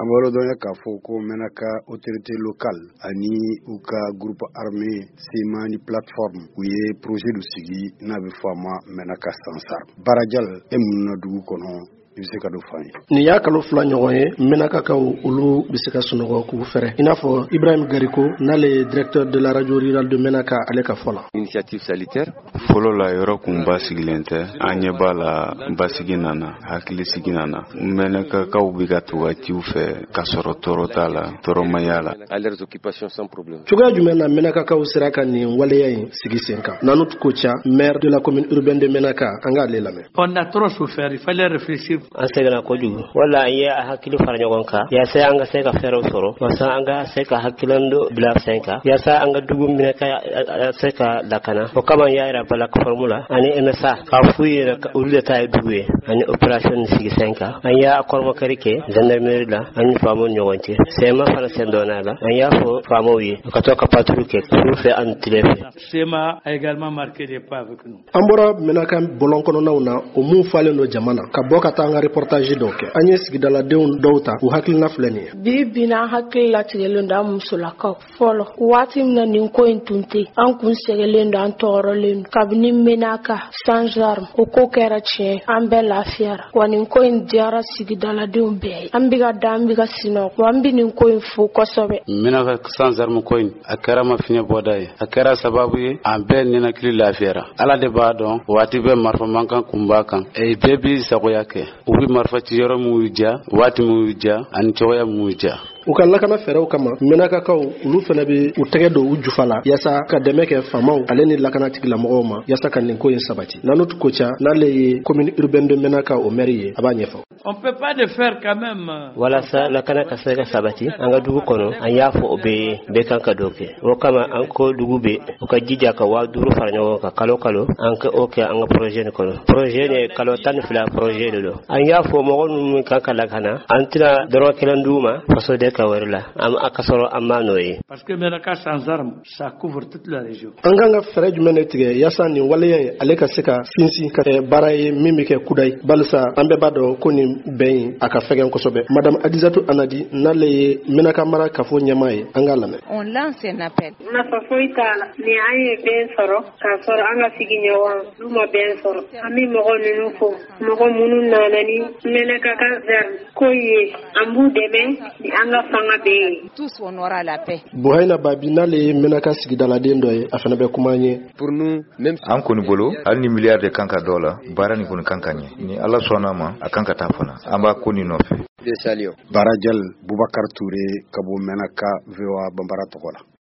An b'a dɔn k'a fɔ ko Menaka autorité locale ani u ka groupe armé CMA ni plateforme, u ye projet dɔ sigi n'a bɛ fɔ a ma Menaka sans armes. Barajal, e mun na dugu kɔnɔ, i bɛ se ka dɔ fɔ an ye? Nin y'a kalo 2 ɲɔgɔn ye, Menakakaw olu bɛ se ka sunɔgɔ k'u fɛrɛ, i n'a fɔ Ibrahim Gariko, n'ale ye directeur de la radio rurale de Menaka, ale ka fɔ la. Initiative salutaire. Fɔlɔ la, yɔrɔ kun basigilen tɛ. An ɲɛ b'a la, basigi nana, hakilisigi nana. Mɛnakakaw bɛ ka to ka ciw fɛ k'a sɔrɔ tɔɔrɔ t'a la, tɔɔrɔmaya la. À leurs occupations sans problème. Cogoya jumɛn na Menakakaw sera ka nin waleya in sigi sen kan? Nanu Koca, maire de la commune urbaine de Menaka, an k'ale lamɛn. On a trop souffert, il fallait réfléchir. An sɛgɛnna kojugu wala an ye a hakili fara ɲɔgɔn kan yaasa an ka se ka fɛɛrɛw sɔrɔ, walasa an ka se ka hakilina dɔ bila sen kan, yaasa an ka dugu minɛ ka se ka lakana. O kama, an y'a yira plateforme la ani MSA k'a f'u ye olu de ta ye dugu ye, ani opération sigi sen kan. An y'a kɔrɔmakari kɛ gendarmerie la ani faamaw ni ɲɔgɔn cɛ. CMA fana sen donna la. An y'a fɔ faamaw ye u ka to ka patrouille kɛ su fɛ ani tile fɛ. CMA a également marqué des pas avec nous. An bɔra Menaka bɔlɔn kɔnɔnaw na, o mun falen don jama na, ka bɔ ka taa an ka reportage dɔw kɛ. An ye sigidaladenw dɔw ta, u hakilina filɛ nin ye. Bi bi na, an hakili latigɛlen don, an musolakaw. Fɔlɔ, waati min na nin ko in tun tɛ, an kun sɛgɛlen don, an tɔɔrɔlen don. Kabini Menaka sans arme o ko kɛra tiɲɛ, an bɛɛ lafiyara wa. Nin ko in diyara sigidaladenw bɛɛ ye. An bɛ ka da, an bɛ ka sinɔgɔ wa. An bɛ nin ko in fo kosɛbɛ. Menaka sans arme ko in, a kɛra ma fiɲɛ bɔda ye, a kɛra sababu ye an bɛɛ ninakili lafiyara. Ala de b'a dɔn, waati bɛɛ marifa mankan kun b'a kan. Bɛɛ b'i sagoya kɛ, u bɛ marifa ci yɔrɔ min y'u diya, waati min y'u diya, ani cogoya min y'u diya. U ka lakana fɛɛrɛw kama, Menakakaw olu fana bɛ u tɛgɛ don u jufa la yaasa ka dɛmɛ kɛ faamaw ale ni lakana tigilamɔgɔw ma, yaasa ka nin ko in sabati. Nanut Koca, n'ale ye commune urbaine de Menaka o maire ye, a b'a ɲɛfɔ. On peut pas le faire quand même. Walasa lakana ka se ka sabati an ka dugu kɔnɔ, an y'a fɔ o bɛɛ ye, bɛɛ kan ka dɔ kɛ. O kama, an ko dugu bɛɛ u ka jija ka 5000 fara ɲɔgɔn kan kalo kalo, an ka o kɛ an ka projet nin kɔnɔ. Projet nin, kalo 12 projet de don. An y'a fɔ mɔgɔ minnu kan ka lakana, an tɛna dɔrɔn kelen d'u ma fasoden ka wɛrɛ la, an a ka sɔrɔ an m'a nɔ ye. Parce que Menaka sans armes, ça couvre toute la région. An kan ka fɛɛrɛ jumɛn de tigɛ yaasa nin waleya in ale ka se ka sinsin ka kɛ baara ye min bɛ kɛ kudayi, balisa an bɛɛ b'a dɔn ko nin bɛn in a ka fɛgɛn kosɛbɛ? Madame Adizatu Anadi, n'ale ye Menaka mara kafo ɲɛmaa ye, an k'a lamɛn. On lance un appel. Nafa foyi t'a la ni an ye bɛn sɔrɔ k'a sɔrɔ an ka sigiɲɔgɔn n'u ma bɛn sɔrɔ. An bɛ mɔgɔ ninnu fo, mɔgɔ minnu nana ni Menaka ko ye, an b'u dɛmɛ ni an ka fanga bɛɛ ye. Tous, on aura la paix. Buhayina Babi, n'ale ye Menaka sigidaladen dɔ ye, a fana bɛ kuma an ye. Pour nous, même An kɔni bolo, hali ni miliyari de kan ka dɔ la, baara nin kɔni kan ka ɲɛ. Ni Ala sɔnna ma, a kan ka taa fana, an b'a ko nin nɔfɛ. De saluons. Barajal, Bubakar Ture ka bɔ Menaka, VOA Banbara tɔgɔ la.